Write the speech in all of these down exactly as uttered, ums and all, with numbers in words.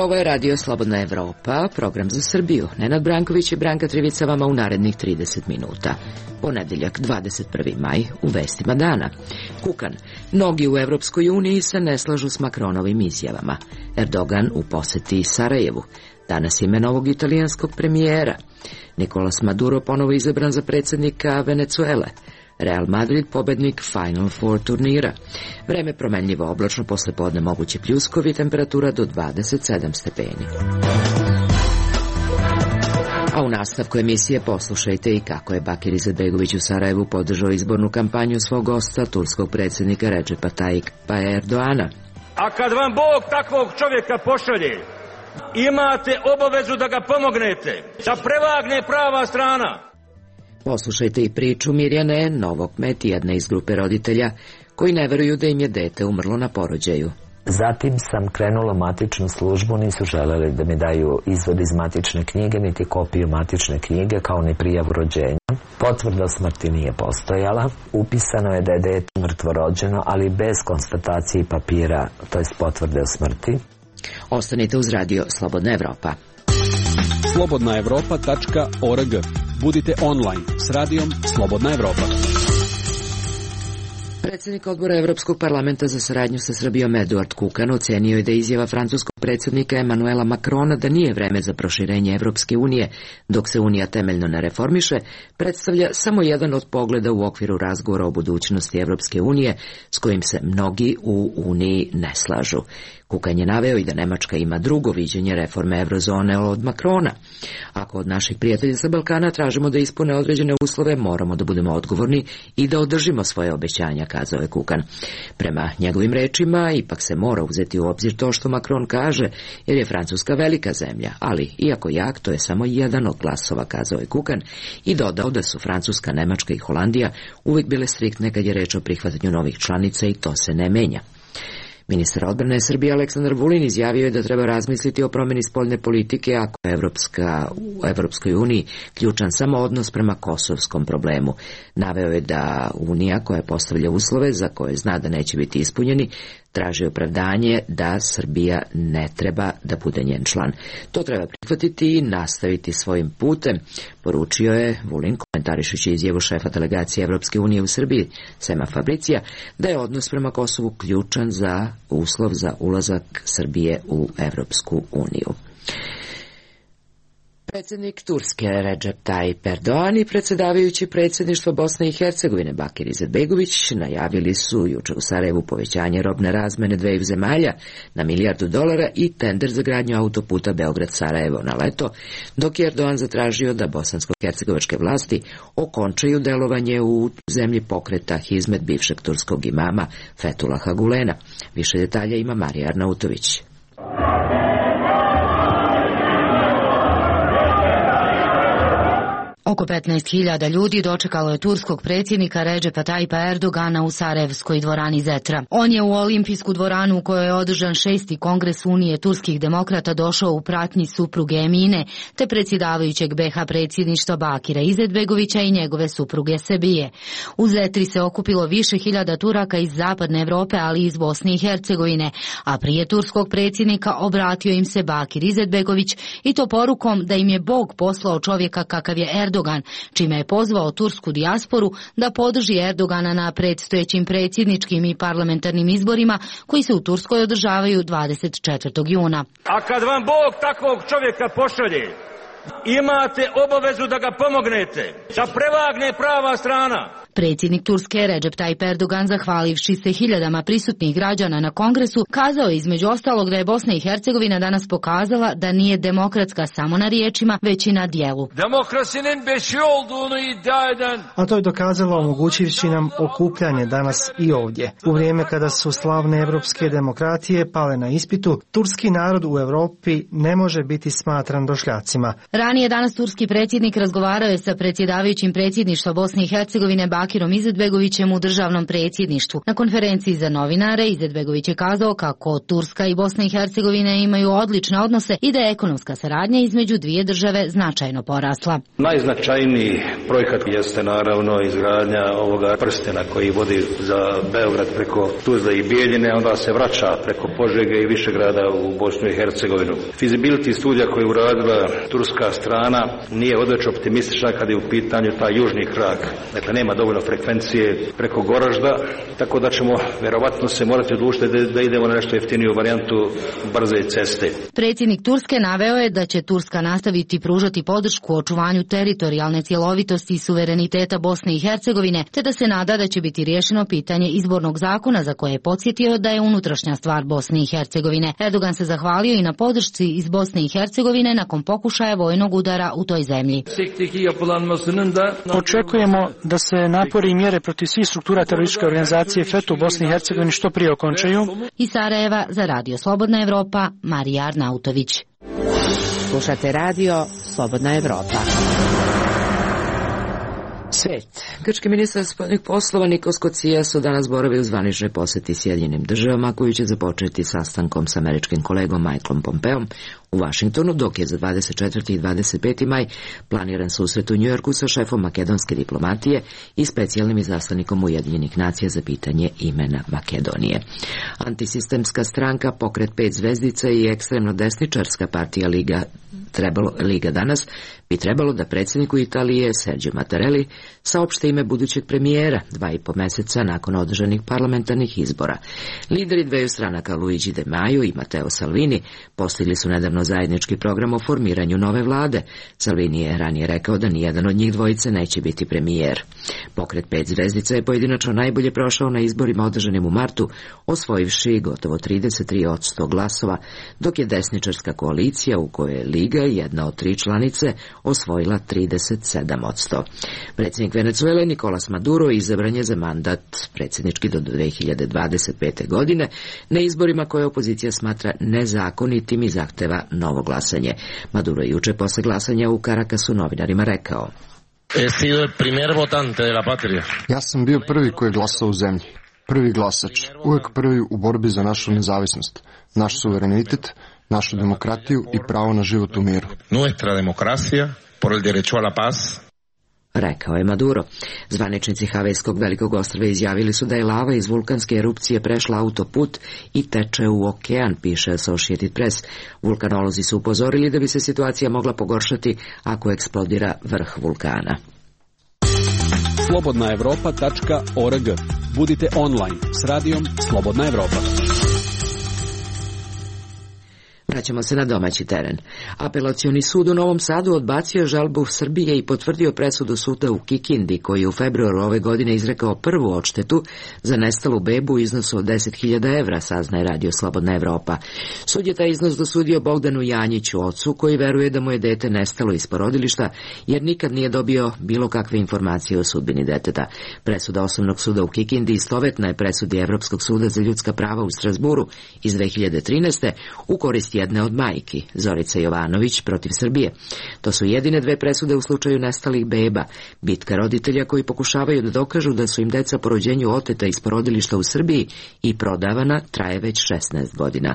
Ovo je Radio Slobodna Evropa, program za Srbiju. Nenad Branković i Branka Trivica vama u narednih trideset minuta. Ponedeljak, dvadeset prvi maj, u vestima dana. Kukan. Mnogi u Evropskoj uniji se ne slažu s Makronovim izjavama. Erdogan u poseti Sarajevu. Danas ime novog italijanskog premijera. Nicolas Maduro ponovo izabran za predsjednika Venezuele. Real Madrid pobednik Final Four turnira. Vreme promenljivo, oblačno, poslepodne mogući pljuskovi, temperatura do dvadeset sedam stepeni. A u nastavku emisije poslušajte i kako je Bakir Izetbegović u Sarajevu podržao izbornu kampanju svog gosta, turskog predsjednika Recepa Tayyipa Erdoana. A kad vam Bog takvog čovjeka pošalje, imate obavezu da ga pomognete, da prevagne prava strana. Poslušajte i priču Mirjane Novokmet, jedne iz grupe roditelja koji ne veruju da im je dete umrlo na porođaju. Zatim sam krenula u matičnu službu, nisu želeli da mi daju izvod iz matične knjige, niti kopiju matične knjige, kao ni prijavu rođenja. Potvrda o smrti nije postojala. Upisano je da je dete mrtvo rođeno, ali bez konstatacije i papira, to jest potvrde o smrti. Ostanite uz Radio Slobodna Evropa. slobodna evropa tačka org. Budite online s radijom Slobodna Evropa. Predsjednik odbora Evropskog parlamenta za saradnju sa Srbijom Eduard Kukan ocenio je da izjava francuskog predsjednika Emanuela Macrona da nije vreme za proširenje Evropske unije dok se Unija temeljno ne reformiše, predstavlja samo jedan od pogleda u okviru razgovora o budućnosti Evropske unije s kojim se mnogi u Uniji ne slažu. Kukan je naveo i da Nemačka ima drugo viđenje reforme Eurozone od Macrona. Ako od naših prijatelja sa Balkana tražimo da ispune određene uslove, moramo da budemo odgovorni i da održimo svoje obećanja, kazao je Kukan. Prema njegovim rečima, ipak se mora uzeti u obzir to što Macron kaže, jer je Francuska velika zemlja, ali iako jak, to je samo jedan od glasova, kazao je Kukan i dodao da su Francuska, Nemačka i Holandija uvijek bile striktne kad je reč o prihvatanju novih članica i to se ne menja. Ministar odbrane Srbije Aleksandar Vulin izjavio je da treba razmisliti o promjeni spoljne politike ako je Evropska, u Evropskoj uniji ključan samo odnos prema kosovskom problemu. Naveo je da Unija, koja postavlja uslove za koje zna da neće biti ispunjeni, traži opravdanje da Srbija ne treba da bude njen član. To treba prihvatiti i nastaviti svojim putem, poručio je Vulin komentarišući izjavu šefa delegacije Evropske unije u Srbiji, Sema Fabricija, da je odnos prema Kosovu ključan za uslov za ulazak Srbije u Evropsku uniju. Predsjednik Turske Recep Tayyip Erdogan i predsjedavajući predsjedništvo Bosne i Hercegovine Bakir Izetbegović najavili su jučer u Sarajevu povećanje robne razmene dveju zemalja na milijardu dolara i tender za gradnju autoputa Beograd-Sarajevo na leto, dok je Erdogan zatražio da bosansko-hercegovačke vlasti okončaju delovanje u zemlji pokreta Hizmet bivšeg turskog imama Fethullaha Gulena. Više detalja ima Marija Arnautović. Oko petnaest hiljada ljudi dočekalo je turskog predsjednika Recepa Tayyipa Erdogana u sarajevskoj dvorani Zetra. On je u olimpijsku dvoranu u kojoj je održan šesti kongres Unije turskih demokrata došao u pratnji supruge Emine te predsjedavajućeg be ha predsjedništva Bakira Izetbegovića i njegove supruge Sebije. U Zetri se okupilo više hiljada Turaka iz zapadne Evrope, ali i iz Bosne i Hercegovine, a prije turskog predsjednika obratio im se Bakir Izetbegović i to porukom da im je Bog poslao čovjeka kakav je Erdogan, čime je pozvao tursku dijasporu da podrži Erdogana na predstojećim predsjedničkim i parlamentarnim izborima koji se u Turskoj održavaju dvadeset četvrtog juna. A kad vam Bog takvog čovjeka pošalje, imate obavezu da ga pomognete, da prevagne prava strana. Predsjednik Turske Recep Tayyip Erdogan, zahvalivši se hiljadama prisutnih građana na kongresu, kazao je između ostalog da je Bosna i Hercegovina danas pokazala da nije demokratska samo na riječima, već i na dijelu. Demokrasinin beşi olduğunu iddia eden... A to je dokazalo omogućivši nam okupljanje danas i ovdje. U vrijeme kada su slavne evropske demokratije pale na ispitu, turski narod u Europi ne može biti smatran došljacima. Ranije danas turski predsjednik razgovarao je sa predsjedavajućim predsjedništva Bosne i Hercegovine Bakirom Izetbegovićem u državnom predsjedništvu. Na konferenciji za novinare Izetbegović je kazao kako Turska i Bosna i Hercegovina imaju odlične odnose i da je ekonomska saradnja između dvije države značajno porasla. Najznačajniji projekat jeste naravno izgradnja ovoga prstena koji vodi za Beograd preko Tuzle i Bijeljine, onda se vraća preko Požege i Višegrada u Bosnu i Hercegovinu. Feasibility studija koju je uradila turska strana nije odveć optimistična kad je u pitanju taj južni krak. Dakle, nema dovoljno frekvencije preko Goražda, tako da ćemo vjerovatno se morati odlučiti da, da idemo na nešto jeftiniju varijantu brze ceste. Predsjednik Turske naveo je da će Turska nastaviti pružati podršku očuvanju teritorijalne cjelovitosti i suvereniteta Bosne i Hercegovine, te da se nada da će biti riješeno pitanje izbornog zakona za koje je podsjetio da je unutrašnja stvar Bosne i Hercegovine. Erdogan se zahvalio i na podršci iz Bosne i Hercegovine nakon pokušaja vojnog udara u toj zemlji. Očekujemo da se napori i mjere protiv svih struktura terorističke organizacije F E T U u Bosni i Hercegovini što prije okončaju. Iz Sarajeva za Radio Slobodna Evropa, Marija Arnautović. Slušate radio Slobodna Evropa. Svet. Grčki ministar spoljnih poslova Nikos Kocias su danas boravi u zvaničnoj posjeti Sjedinjenim državama, koji će započeti sastankom s američkim kolegom Michaelom Pompeom u Vašingtonu, dok je za dvadeset četvrti i dvadeset peti maj planiran susret u Njujorku sa šefom makedonske diplomatije i specijalnim izaslanikom Ujedinjenih nacija za pitanje imena Makedonije. Antisistemska stranka Pokret pet zvezdica i ekstremno desničarska partija Liga, trebalo, Liga danas bi trebalo da predsjedniku Italije Sergio Mattarelli saopšte ime budućeg premijera dva i po mjeseca nakon održanih parlamentarnih izbora. Lideri dveju stranaka Luigi De Maio i Matteo Salvini postigli su nedavno zajednički program o formiranju nove vlade. Salvini je ranije rekao da nijedan od njih dvojice neće biti premijer. Pokret pet zvezdica je pojedinačno najbolje prošao na izborima održanim u martu, osvojivši gotovo trideset tri posto glasova, dok je desničarska koalicija, u kojoj je Liga jedna od tri članice, osvojila trideset sedam posto. Predsjednik Venezuele Nicolas Maduro izabran je za mandat predsjednički do dve hiljade dvadeset pete. godine na izborima koje opozicija smatra nezakonitim i zahteva novo glasanje. Maduro je juče posle glasanja u Caracasu novinarima rekao: Ja sam bio prvi koji je glasao u zemlji. Prvi glasač. Uvijek prvi u borbi za našu nezavisnost, naš suverenitet, našu demokratiju i pravo na život u miru. Nuestra democracia por el derecho a la paz. Rekao je Maduro. Zvaničnici Havajskog velikog ostrva izjavili su da je lava iz vulkanske erupcije prešla autoput i teče u okean, piše Associated Press. Vulkanolozi su upozorili da bi se situacija mogla pogoršati ako eksplodira vrh vulkana. slobodna evropa tačka org. Budite online s radijom Slobodna Evropa. Vraćamo se na domaći teren. Apelacioni sud u Novom Sadu odbacio žalbu Srbije i potvrdio presudu suda u Kikindi, koji je u februaru ove godine izrekao prvu odštetu za nestalu bebu u iznosu od deset hiljada evra, saznaje Radio Slobodna Evropa. Sud je taj iznos dosudio Bogdanu Janjiću, ocu, koji veruje da mu je dete nestalo iz porodilišta, jer nikad nije dobio bilo kakve informacije o sudbini deteta. Presuda Osnovnog suda u Kikindi istovetna je presudi Evropskog suda za ljudska prava u Strasburu iz dve hiljade trinaeste. u korist jedne od majki, Zorica Jovanović protiv Srbije. To su jedine dve presude u slučaju nestalih beba. Bitka roditelja koji pokušavaju da dokažu da su im deca po rođenju oteta iz porodilišta u Srbiji i prodavana traje već šesnaest godina.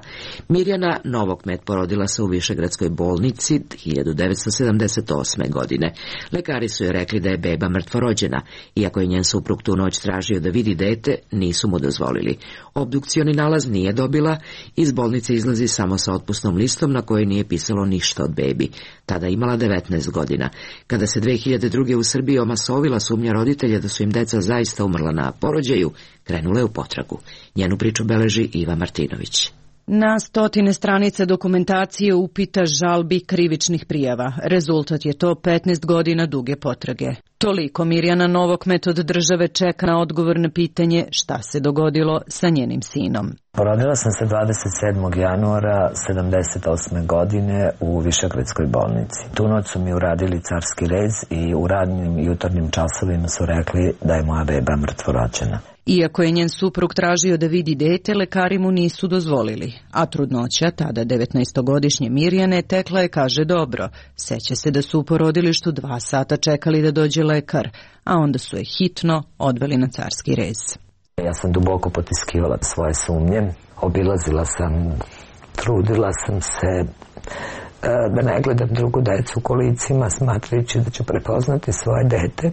Mirjana Novokmet porodila se u Višegradskoj bolnici hiljadu devetsto sedamdeset osme. godine. Lekari su joj rekli da je beba mrtvorođena. Iako je njen suprug tu noć tražio da vidi dete, nisu mu dozvolili. Obdukcioni nalaz nije dobila, iz bolnice izlazi samo sa otpusnom listom na kojoj nije pisalo ništa od bebi. Tada imala devetnaest godina. Kada se dve hiljade druge. u Srbiji omasovila sumnja roditelja da su im deca zaista umrla na porođaju, krenula je u potragu. Njenu priču beleži Iva Martinović. Na stotine stranice dokumentacije, upita, žalbi, krivičnih prijava. Rezultat je to petnaest godina duge potrage. Toliko Mirjana Novokmet od države čeka na odgovor na pitanje šta se dogodilo sa njenim sinom. Porodila sam se dvadeset sedmog januara sedamdeset osme. godine u Višegradskoj bolnici. Tu noć su mi uradili carski rez i u radnim jutarnjim časovima su rekli da je moja beba mrtvorođena. Iako je njen suprug tražio da vidi dete, lekari mu nisu dozvolili, a trudnoća, tada devetnaestogodišnje Mirjane, tekla je, kaže, dobro. Seća se da su u porodilištu dva sata čekali da dođe lekar, a onda su je hitno odveli na carski rez. Ja sam duboko potiskivala svoje sumnje, obilazila sam, trudila sam se da ne gledam drugu decu u kolicima, smatrajući da ću prepoznati svoje dete.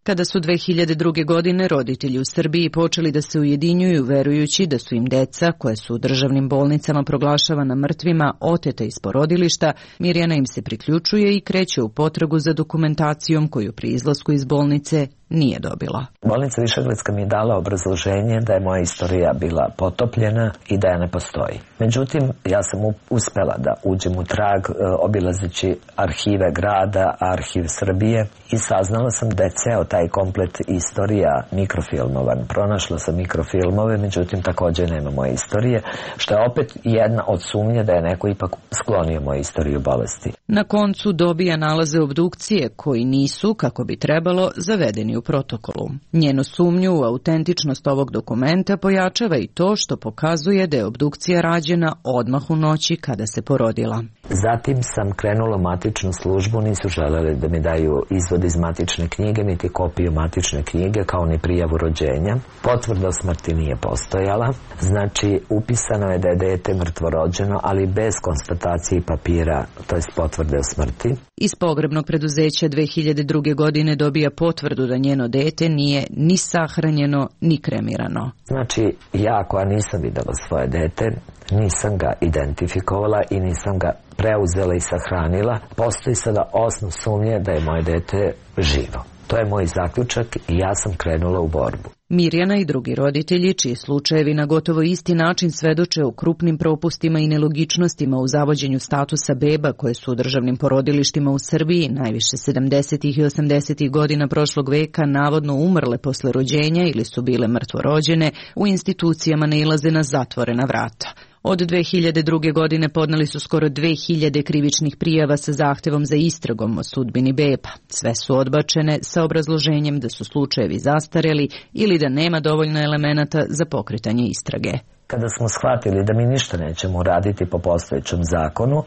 Kada su dve hiljade druge. godine roditelji u Srbiji počeli da se ujedinjuju verujući da su im deca, koje su u državnim bolnicama proglašavana mrtvima, oteta iz porodilišta, Mirjana im se priključuje i kreće u potragu za dokumentacijom koju pri izlasku iz bolnice nije dobila. Bolnica Višegradska mi je dala obrazloženje da je moja istorija bila potopljena i da je ne postoji. Međutim, ja sam uspela da uđem u trag obilazeći arhive grada, arhiv Srbije i saznala sam da je ceo taj komplet istorija mikrofilmovan. Pronašla sam mikrofilmove, međutim također nema moje istorije, što je opet jedna od sumnje da je neko ipak sklonio moju istoriju bolesti. Na koncu dobija nalaze obdukcije koji nisu, kako bi trebalo, zavedeni u protokolu. Njenu sumnju u autentičnost ovog dokumenta pojačava i to što pokazuje da je obdukcija rađena odmah u noći kada se porodila. Zatim sam krenula u matičnu službu, nisu želeli da mi daju izvod iz matične knjige, niti kopiju matične knjige, kao ni prijavu rođenja. Potvrda o smrti nije postojala, znači upisano je da je dete mrtvorođeno, ali bez konstatacije i papira, to je potvrde o smrti. Iz pogrebnog preduzeća dve hiljade druge. godine dobija potvrdu da njeno dete nije ni sahranjeno, ni kremirano. Znači, ja koja nisam videla svoje dete, nisam ga identifikovala i nisam ga preuzela i sahranila, postoji sada osnov sumnje da je moje dete živo. To je moj zaključak i ja sam krenula u borbu. Mirjana i drugi roditelji, čiji slučajevi na gotovo isti način svedoče o krupnim propustima i nelogičnostima u zavođenju statusa beba koje su u državnim porodilištima u Srbiji, najviše sedamdesetih i osamdesetih godina prošlog veka, navodno umrle posle rođenja ili su bile mrtvorođene, u institucijama nailaze na zatvorena vrata. Od dve hiljade druge. godine podneli su skoro dve hiljade krivičnih prijava sa zahtevom za istragom o sudbini beba. Sve su odbačene sa obrazloženjem da su slučajevi zastareli ili da nema dovoljno elemenata za pokretanje istrage. Kada smo shvatili da mi ništa nećemo uraditi po postojećem zakonu,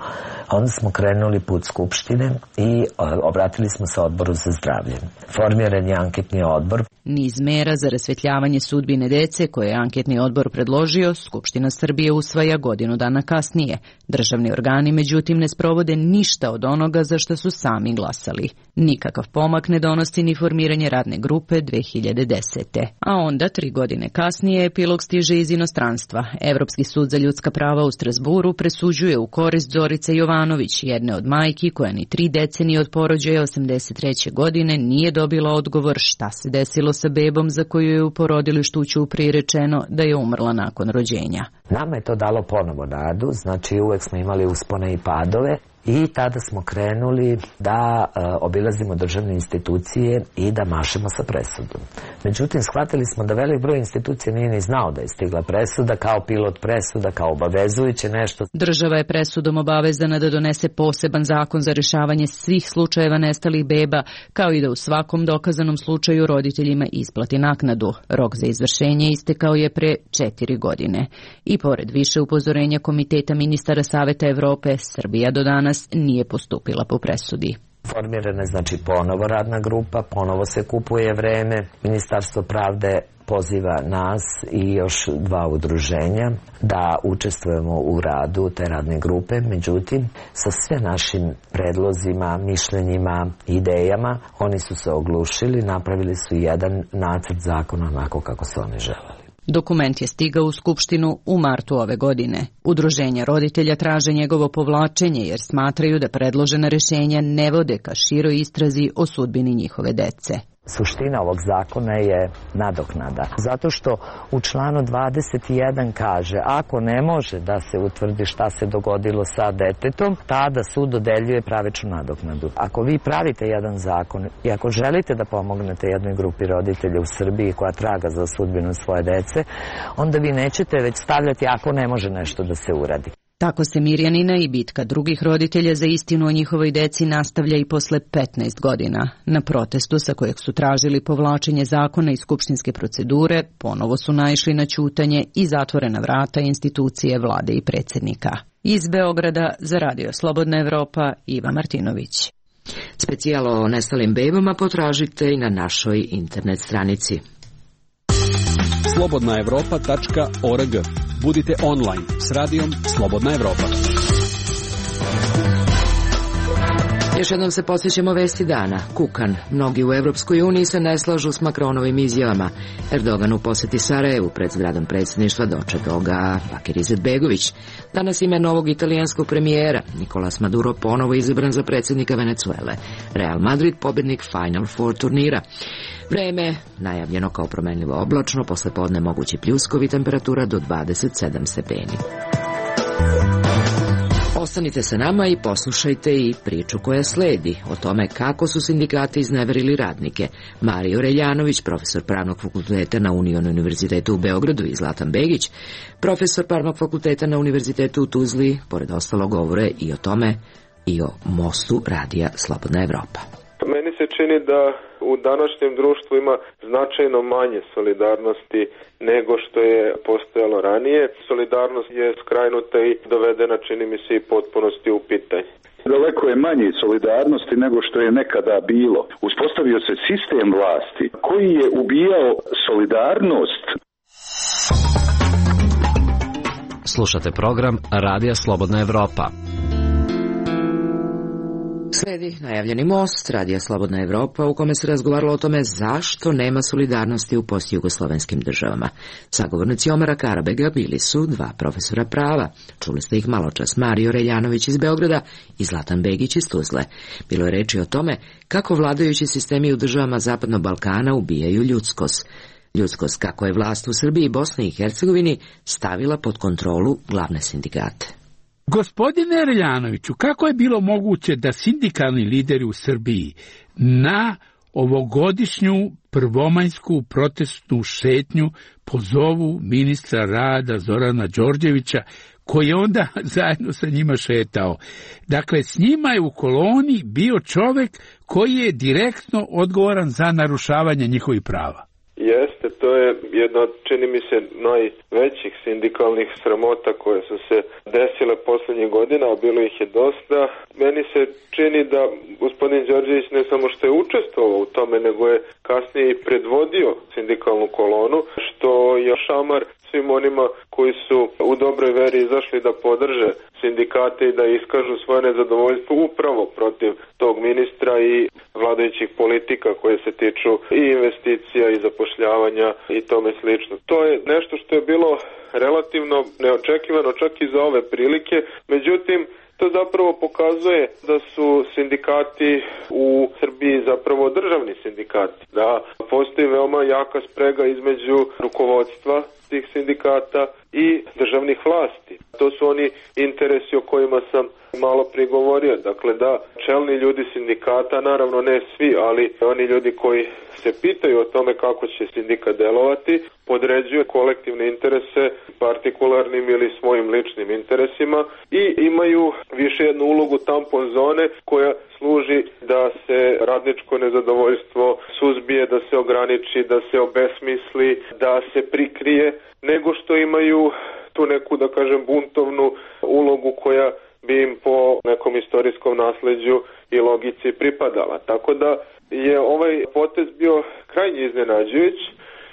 onda smo krenuli put Skupštine i obratili smo se Odboru za zdravlje. Formiran je anketni odbor. Niz mera za rasvetljavanje sudbine dece koje je anketni odbor predložio, Skupština Srbije usvaja godinu dana kasnije. Državni organi, međutim, ne sprovode ništa od onoga za što su sami glasali. Nikakav pomak ne donosi ni formiranje radne grupe dve hiljade desete. A onda, tri godine kasnije, epilog stiže iz inostranstva. Evropski sud za ljudska prava u Strasburu presuđuje u korist Zorice Jovanović, jedne od majki koja ni tri decenije od porođaja osamdeset treće. godine nije dobila odgovor šta se desilo sa bebom za koju je u porodilištu u Ćupriji rečeno da je umrla nakon rođenja. Nama je to dalo ponovo nadu, znači uvek smo imali uspone i padove. I tada smo krenuli da e, obilazimo državne institucije i da mašemo sa presudom. Međutim, shvatili smo da velik broj institucija nije ni znao da je stigla presuda, kao pilot presuda, kao obavezujuće nešto. Država je presudom obavezana da donese poseban zakon za rešavanje svih slučajeva nestalih beba, kao i da u svakom dokazanom slučaju roditeljima isplati naknadu. Rok za izvršenje istekao je pre četiri godine. I pored više upozorenja Komiteta ministara Saveta Evrope, Srbija do danas nije postupila po presudi. Formirana je znači ponovo radna grupa, ponovo se kupuje vreme, Ministarstvo pravde poziva nas i još dva udruženja da učestvujemo u radu te radne grupe, međutim sa sve našim predlozima, mišljenjima, idejama oni su se oglušili, napravili su jedan nacrt zakona onako kako su oni želeli. Dokument je stigao u Skupštinu u martu ove godine. Udruženja roditelja traže njegovo povlačenje jer smatraju da predložena rešenja ne vode ka široj istrazi o sudbini njihove dece. Suština ovog zakona je nadoknada. Zato što u članu dvadeset jedan kaže ako ne može da se utvrdi šta se dogodilo sa detetom, tada sud dodeljuje pravičnu nadoknadu. Ako vi pravite jedan zakon i ako želite da pomognete jednoj grupi roditelja u Srbiji koja traga za sudbinu svoje dece, onda vi nećete već stavljati ako ne može nešto da se uradi. Tako se Mirjanina i bitka drugih roditelja za istinu o njihovoj deci nastavlja i posle petnaest godina. Na protestu sa kojeg su tražili povlačenje zakona iz skupštinske procedure, ponovo su naišli na ćutanje i zatvorena vrata institucije vlade i predsjednika. Iz Beograda za Radio Slobodna Evropa, Iva Martinović. Specijal o nestalim bebama potražite i na našoj internet stranici. slobodna evropa tačka org. Budite online s radijom Slobodna Evropa. Još jednom se posjećamo vesti dana. Kukan. Mnogi u Evropskoj uniji se ne slažu s Makronovim izjavama. Erdogan u posjeti Sarajevu pred zgradom predsjedništva dočekao ga Bakir Izetbegović. Danas ime novog italijanskog premijera. Nicolas Maduro ponovo izabran za predsjednika Venezuele. Real Madrid pobjednik Final Four turnira. Vreme najavljeno kao promenljivo oblačno, posle podne mogući pljuskovi, temperatura do dvadeset sedam stepeni. Ostanite sa nama i poslušajte i priču koja sledi o tome kako su sindikati izneverili radnike. Mario Reljanović, profesor Pravnog fakulteta na Union univerzitetu u Beogradu, i Zlatan Begić, profesor Pravnog fakulteta na Univerzitetu u Tuzli, pored ostalo govore i o tome i o mostu radija Slobodna Evropa. Meni se čini da u današnjem društvu ima značajno manje solidarnosti nego što je postojalo ranije. Solidarnost je skrajnuta i dovedena, čini mi se, i potpunosti u pitanje. Daleko je manje solidarnosti nego što je nekada bilo. Uspostavio se sistem vlasti koji je ubijao solidarnost. Slušate program Radija Slobodna Evropa. Sledi najavljeni most Radija Slobodna Evropa u kome se razgovaralo o tome zašto nema solidarnosti u postjugoslovenskim državama. Sagovornici Omara Karabega bili su dva profesora prava. Čuli ste ih maločas, Mario Reljanović iz Beograda i Zlatan Begić iz Tuzle. Bilo je reči o tome kako vladajući sistemi u državama Zapadnog Balkana ubijaju ljudskost. Ljudskost kako je vlast u Srbiji i Bosni i Hercegovini stavila pod kontrolu glavne sindikate. Gospodine Reljanoviću, kako je bilo moguće da sindikalni lideri u Srbiji na ovogodišnju prvomajsku protestnu šetnju pozovu ministra rada Zorana Đorđevića, koji je onda zajedno sa njima šetao? Dakle, s njima je u koloni bio čovek koji je direktno odgovoran za narušavanje njihovih prava. Jeste, to je jedna od, čini mi se, najvećih sindikalnih sramota koje su se desile posljednjih godina, a bilo ih je dosta. Meni se čini da gospodin Đorđević ne samo što je učestvovao u tome, nego je kasnije i predvodio sindikalnu kolonu, što je šamar svim onima koji su u dobroj veri izašli da podrže sindikate i da iskažu svoje nezadovoljstvo upravo protiv tog ministra i vladajućih politika koje se tiču i investicija i zapošljavanja i tome slično. To je nešto što je bilo relativno neočekivano čak i za ove prilike, međutim to zapravo pokazuje da su sindikati u Srbiji zapravo državni sindikati, da postoji veoma jaka sprega između rukovodstva tih sindikata i državnih vlasti. To su oni interesi o kojima sam malo prigovorio. Dakle, da čelni ljudi sindikata, naravno ne svi, ali oni ljudi koji se pitaju o tome kako će sindikat delovati, podređuju kolektivne interese partikularnim ili svojim ličnim interesima i imaju više jednu ulogu tampon zone koja služi da se radničko nezadovoljstvo suzbije, da se ograniči, da se obesmisli, da se prikrije, nego što imaju tu neku, da kažem, buntovnu ulogu koja bi im po nekom istorijskom nasleđu i logici pripadala. Tako da je ovaj potez bio krajnje iznenađujuć,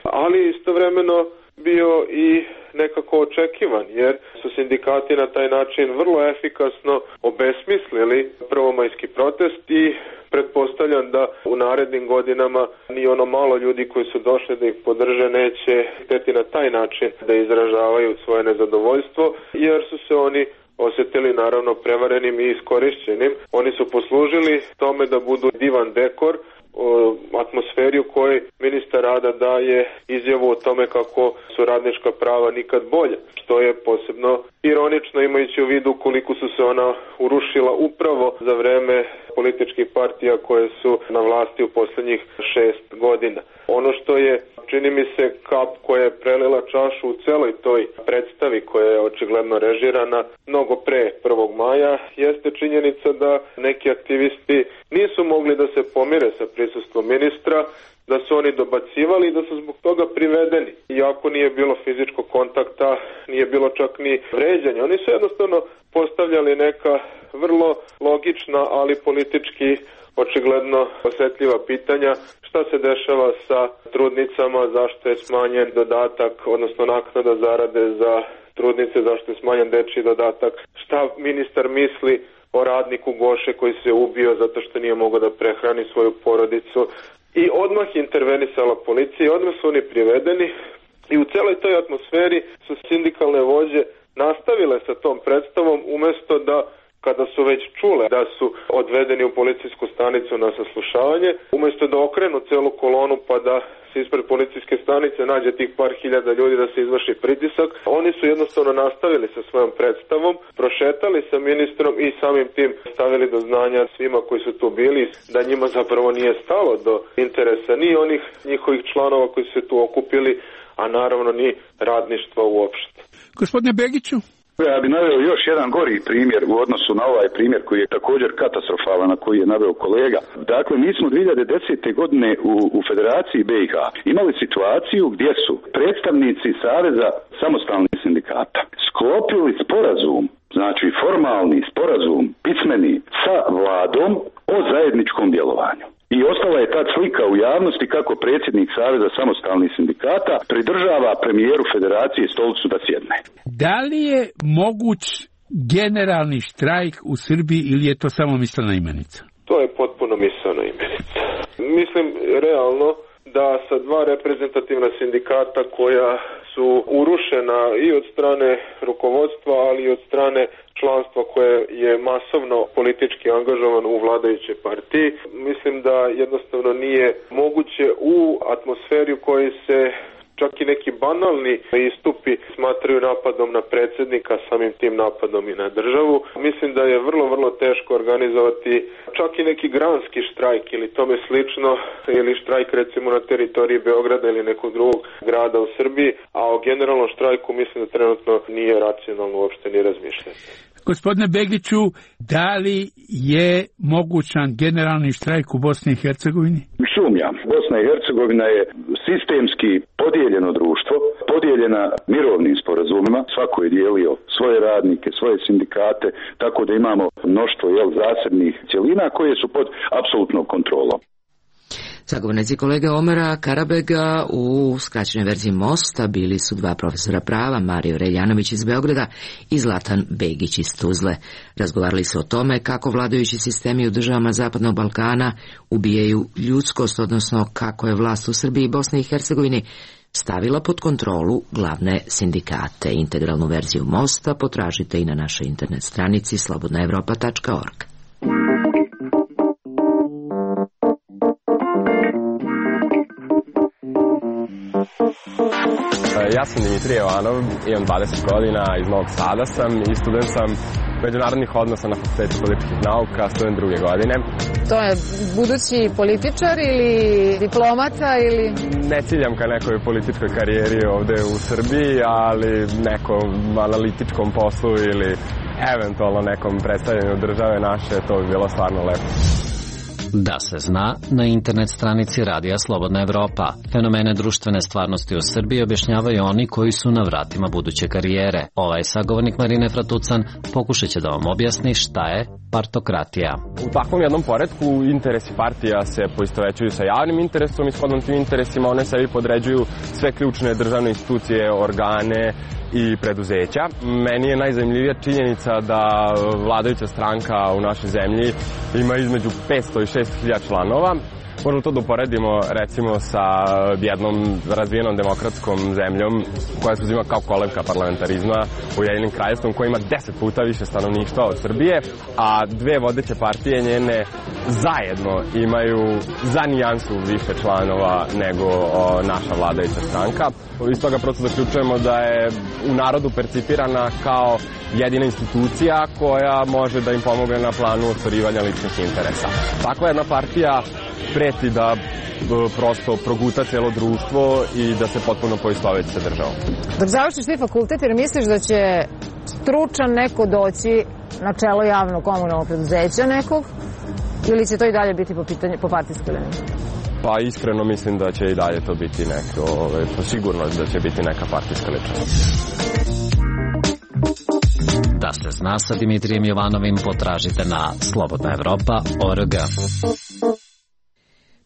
ali istovremeno bio i nekako očekivan, jer su sindikati na taj način vrlo efikasno obesmislili prvomajski protest i pretpostavljam da u narednim godinama ni ono malo ljudi koji su došli da ih podrže neće hteti na taj način da izražavaju svoje nezadovoljstvo, jer su se oni osjetili naravno prevarenim i iskorišćenim. Oni su poslužili tome da budu divan dekor, atmosferi u kojoj ministar rada daje izjavu o tome kako su radnička prava nikad bolja, što je posebno ironično imajući u vidu koliko su se ona urušila upravo za vreme političkih partija koje su na vlasti u posljednjih šest godina. Ono što je, čini mi se, kap koja je prelila čašu u celoj toj predstavi koja je očigledno režirana mnogo pre prvog maja, jeste činjenica da neki aktivisti nisu mogli da se pomire sa prisustvom ministra, da su oni dobacivali i da su zbog toga privedeni. Iako nije bilo fizičkog kontakta, nije bilo čak ni vređanja. Oni su jednostavno postavljali neka vrlo logična, ali politički očigledno osjetljiva pitanja. Šta se dešava sa trudnicama, zašto je smanjen dodatak, odnosno naknada zarade za trudnice, zašto je smanjen dečji dodatak, šta ministar misli o radniku Goše koji se ubio zato što nije mogao da prehrani svoju porodicu. I odmah je intervenisala policija i odmah su oni privedeni i u celoj toj atmosferi su sindikalne vođe nastavile sa tom predstavom umjesto da, kada su već čule da su odvedeni u policijsku stanicu na saslušavanje, umjesto da okrenu celu kolonu pa da se ispred policijske stanice nađe tih par hiljada ljudi da se izvrši pritisak, oni su jednostavno nastavili sa svojom predstavom, prošetali sa ministrom i samim tim stavili do znanja svima koji su tu bili da njima zapravo nije stalo do interesa ni onih njihovih članova koji su se tu okupili, a naravno ni radništva uopšte. Gospodine Begiću? Ja bih naveo još jedan gori primjer u odnosu na ovaj primjer koji je također katastrofalan, na koji je naveo kolega. Dakle, mi smo dvije hiljade desete. godine u, u Federaciji B i H imali situaciju gdje su predstavnici Saveza samostalnih sindikata sklopili sporazum, znači formalni sporazum, pismeni, sa vladom o zajedničkom djelovanju. I ostala je ta slika u javnosti kako predsjednik Saveza samostalnih sindikata pridržava premijeru Federacije stolicu da sjedne. Da li je moguć generalni štrajk u Srbiji ili je to samo mislena imenica? To je potpuno mislena imenica. Mislim realno da sa dva reprezentativna sindikata koja su urušena i od strane rukovodstva, ali i od strane članstva koje je masovno politički angažovan u vladajućoj partiji. Mislim da jednostavno nije moguće u atmosferi u kojoj se čak i neki banalni istupi smatraju napadom na predsjednika, samim tim napadom i na državu. Mislim da je vrlo, vrlo teško organizovati čak i neki granski štrajk ili tome slično, ili štrajk recimo na teritoriji Beograda ili nekog drugog grada u Srbiji, a o generalnom štrajku mislim da trenutno nije racionalno uopšte ni razmišljati. Gospodine Begiću, da li je mogućan generalni štrajk u Bosni i Hercegovini? Sumnjam. Bosna i Hercegovina je sistemski podijeljeno društvo, podijeljena mirovnim sporazumima, svako je dijelio svoje radnike, svoje sindikate, tako da imamo mnoštvo jel, zasebnih cjelina koje su pod apsolutnom kontrolom. Sagovornici kolege Omera Karabega u skraćenoj verziji Mosta bili su dva profesora prava, Mario Reljanović iz Beograda i Zlatan Begić iz Tuzle. Razgovarali su o tome kako vladajući sistemi u državama Zapadnog Balkana ubijaju ljudskost, odnosno kako je vlast u Srbiji i Bosni i Hercegovini stavila pod kontrolu glavne sindikate. Integralnu verziju Mosta potražite i na našoj internet stranici slobodna evropa tačka org. Ja sam Dimitrije Jovanov, imam dvadeset godina, iz Novog Sada sam i student sam međunarodnih odnosa na Fakultetu političkih nauka, student druge godine. To je budući političar ili diplomata ili... Ne ciljam ka nekoj političkoj karijeri ovde u Srbiji, ali nekom analitičkom poslu ili eventualno nekom predstavljanju države naše, to bi bilo stvarno lepo. Da se zna, na internet stranici Radija Slobodna Evropa. Fenomene društvene stvarnosti u Srbiji objašnjavaju oni koji su na vratima buduće karijere. Ovaj sagovornik Marine Fratucan pokušat će da vam objasni šta je partokratija. U takvom jednom poretku interesi partija se poistovećuju sa javnim interesom i shodno tim interesima one sebi podređuju sve ključne državne institucije, organe i preduzeća. Meni je najzanimljivija činjenica da vladajuća stranka u našoj zemlji ima između petsto i šest hiljada članova. Možemo to da uporedimo recimo sa jednom razvijenom demokratskom zemljom koja se uzima kao kolevka parlamentarizma, Ujedinjenim Kraljevstvom, koja ima deset puta više stanovništva od Srbije, a dve vodeće partije njene zajedno imaju za nijansu više članova nego o, naša vladajuća stranka. Iz toga prosto zaključujemo da je u narodu percipirana kao jedina institucija koja može da im pomogne na planu ostvarivanja ličnih interesa. Takva jedna partija preti da prosto proguta celo društvo i da se potpuno poistoveti sa državom. Dok završiš ti fakultet, jer misliš da će stručan neko doći na čelo javnog komunalnog preduzeća nekog, ili će to i dalje biti po, pitanje, po partijskoj liniji? Pa iskreno mislim da će i dalje to biti neko, ovaj, po sigurnost da će biti neka partijska ličnost. Da se zna sa Dimitrijem Jovanovim potražite na slobodna evropa tačka org.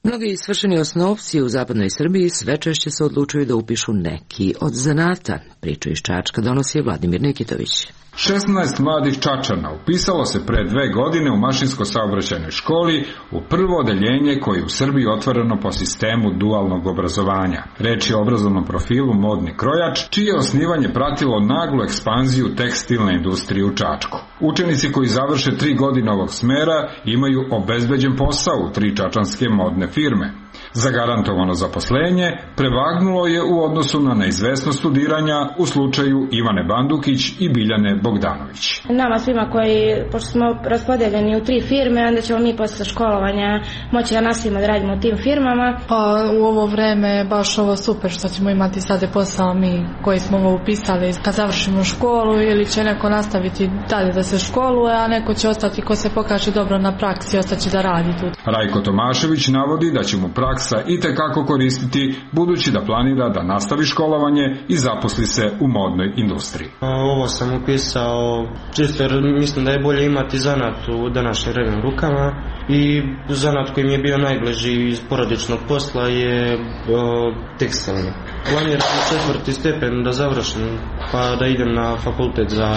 Mnogi svršeni osnovci u zapadnoj Srbiji sve češće se odlučuju da upišu neki od zanata. Priču iz Čačka donosi Vladimir Nikitović. šesnaest mladih Čačana upisalo se pre dve godine u mašinsko-saobraćajnoj školi u prvo odeljenje koje je u Srbiji otvoreno po sistemu dualnog obrazovanja. Reč je o obrazovnom profilu Modni krojač, čije osnivanje pratilo naglu ekspanziju tekstilne industrije u Čačku. Učenici koji završe tri godine ovog smera imaju obezbeđen posao u tri čačanske modne firme. Zagarantovano zaposlenje prevagnulo je u odnosu na neizvesno studiranja u slučaju Ivane Bandukić i Biljane Bogdanović. Nama svima koji, pošto smo raspodeljeni u tri firme, onda ćemo mi posle školovanja moći da nastavimo da radimo u tim firmama. Pa u ovo vreme baš ovo super što ćemo imati sada posao mi koji smo ovo upisali kad završimo školu, ili će neko nastaviti dalje da se školuje, a neko će ostati ko se pokaže dobro na praksi, ostaće da radi tu. Rajko Tomašević navodi da će mu praksa i tekako koristiti, budući da planira da nastavi školovanje i zaposli se u modnoj industriji. Ovo sam upisao čisto jer mislim da je bolje imati zanat u današnje vreme u rukama, i zanat koji mi je bio najbliži iz porodičnog posla je o, tekstilni. Planiram četvrti stepen da završim pa da idem na fakultet za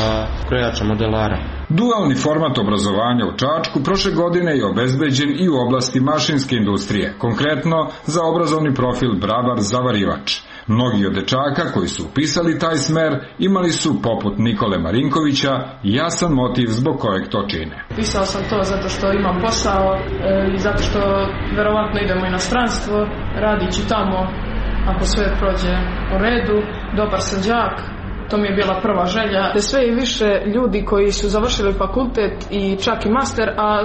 krojača modelara. Dualni format obrazovanja u Čačku prošle godine je obezbeđen i u oblasti mašinske industrije, konkretno za obrazovni profil bravar zavarivač. Mnogi od dečaka koji su upisali taj smer imali su, poput Nikole Marinkovića, jasan motiv zbog kojeg to čine. Pisao sam to zato što imam posao e, i zato što verovatno idemo u inostranstvo, radići tamo, ako sve prođe u redu, dobar sam đak. To mi je bila prva želja. Sve i više ljudi koji su završili fakultet i čak i master, a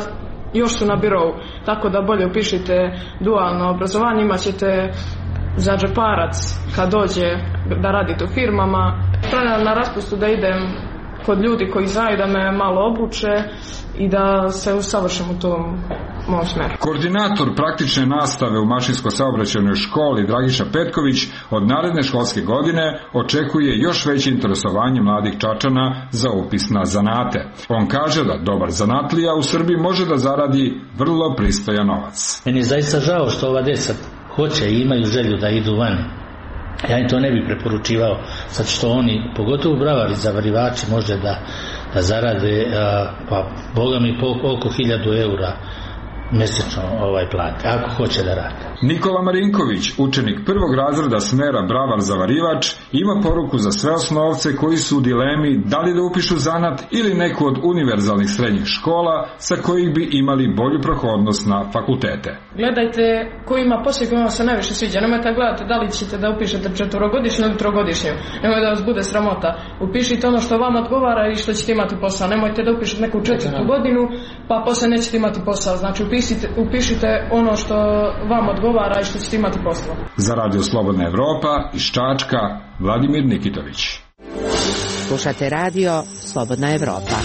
još su na birou. Tako da bolje upišite dualno obrazovanje, imat ćete za džeparac kad dođe da radite u firmama. Planiram na raspustu da idem kod ljudi koji znaju, da me malo obuče i da se usavršim u tom mom smeru. Koordinator praktične nastave u mašinsko-saobraćajnoj školi Dragiša Petković od naredne školske godine očekuje još veće interesovanje mladih Čačana za upis na zanate. On kaže da dobar zanatlija u Srbiji može da zaradi vrlo pristojan novac. Meni je zaista žao što ova deca hoće i imaju želju da idu van. Ja im to ne bih preporučivao, sad što oni, pogotovo bravari, zavarivači, može da, da zarade, a, pa boga mi oko hiljadu eura mesečno ovaj plate, ako hoće da rade. Nikola Marinković, učenik prvog razreda smera bravar zavarivač, ima poruku za sve osnovce koji su u dilemi da li da upišu zanat ili neku od univerzalnih srednjih škola sa kojih bi imali bolju prohodnost na fakultete. Gledajte ko ima posao koji vam se najviše sviđa. Nemojte gledati da li ćete da upišete četvorogodišnju ili trogodišnju. Nemojte da vas bude sramota. Upišite ono što vam odgovara i što ćete imati posao. Nemojte da upišete neku četvrtu godinu pa posle nećete imati posao. Znači upišite, upišite ono što vam odgovara i što ćete imati posao. Za Radio Slobodna Evropa iz Čačka, Vladimir Nikitović. Slušate Radio Slobodna Evropa.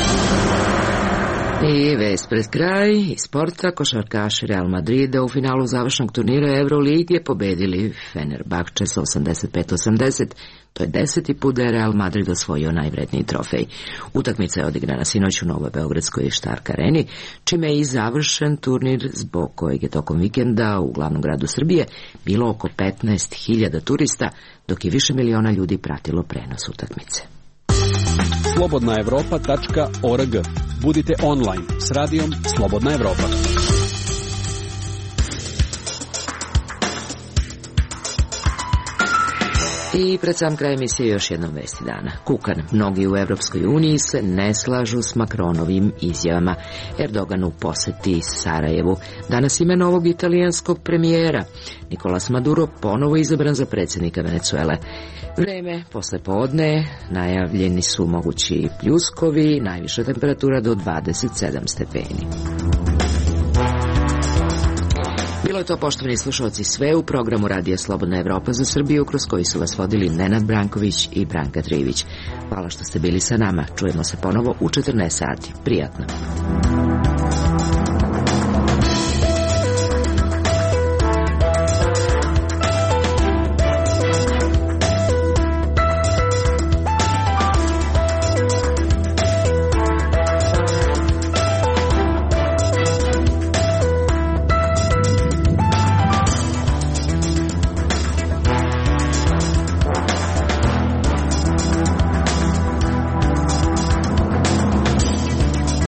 I vest pred kraj iz sporta, košarkaši Real Madrida u finalu završnog turnira Evrolige pobedili Fenerbahče sa osamdeset pet osamdeset. To je deseti put da je Real Madrid osvojio najvredniji trofej. Utakmica je odigrana sinoć u Novoj Beogradskoj Štark areni, čime je i završen turnir zbog kojeg je tokom vikenda u glavnom gradu Srbije bilo oko petnaest hiljada turista, dok je više miliona ljudi pratilo prenos utakmice. slobodna evropa tačka org. Budite online s radijom Slobodna Evropa. I pred sam kraj emisije još jednom vesti dana. Kukan. Mnogi u Evropskoj uniji se ne slažu s Makronovim izjavama. Erdogan u poseti Sarajevu. Danas ime novog italijanskog premijera. Nicolas Maduro ponovo izabran za predsjednika Venezuele. Vreme posle podne, najavljeni su mogući pljuskovi, najviša temperatura do dvadeset sedam stepeni. Bilo je to, poštovani slušalci, sve u programu Radija Slobodna Evropa za Srbiju, kroz koji su vas vodili Nenad Branković i Branka Trivić. Hvala što ste bili sa nama. Čujemo se ponovo u četrnaest sati. Prijatno.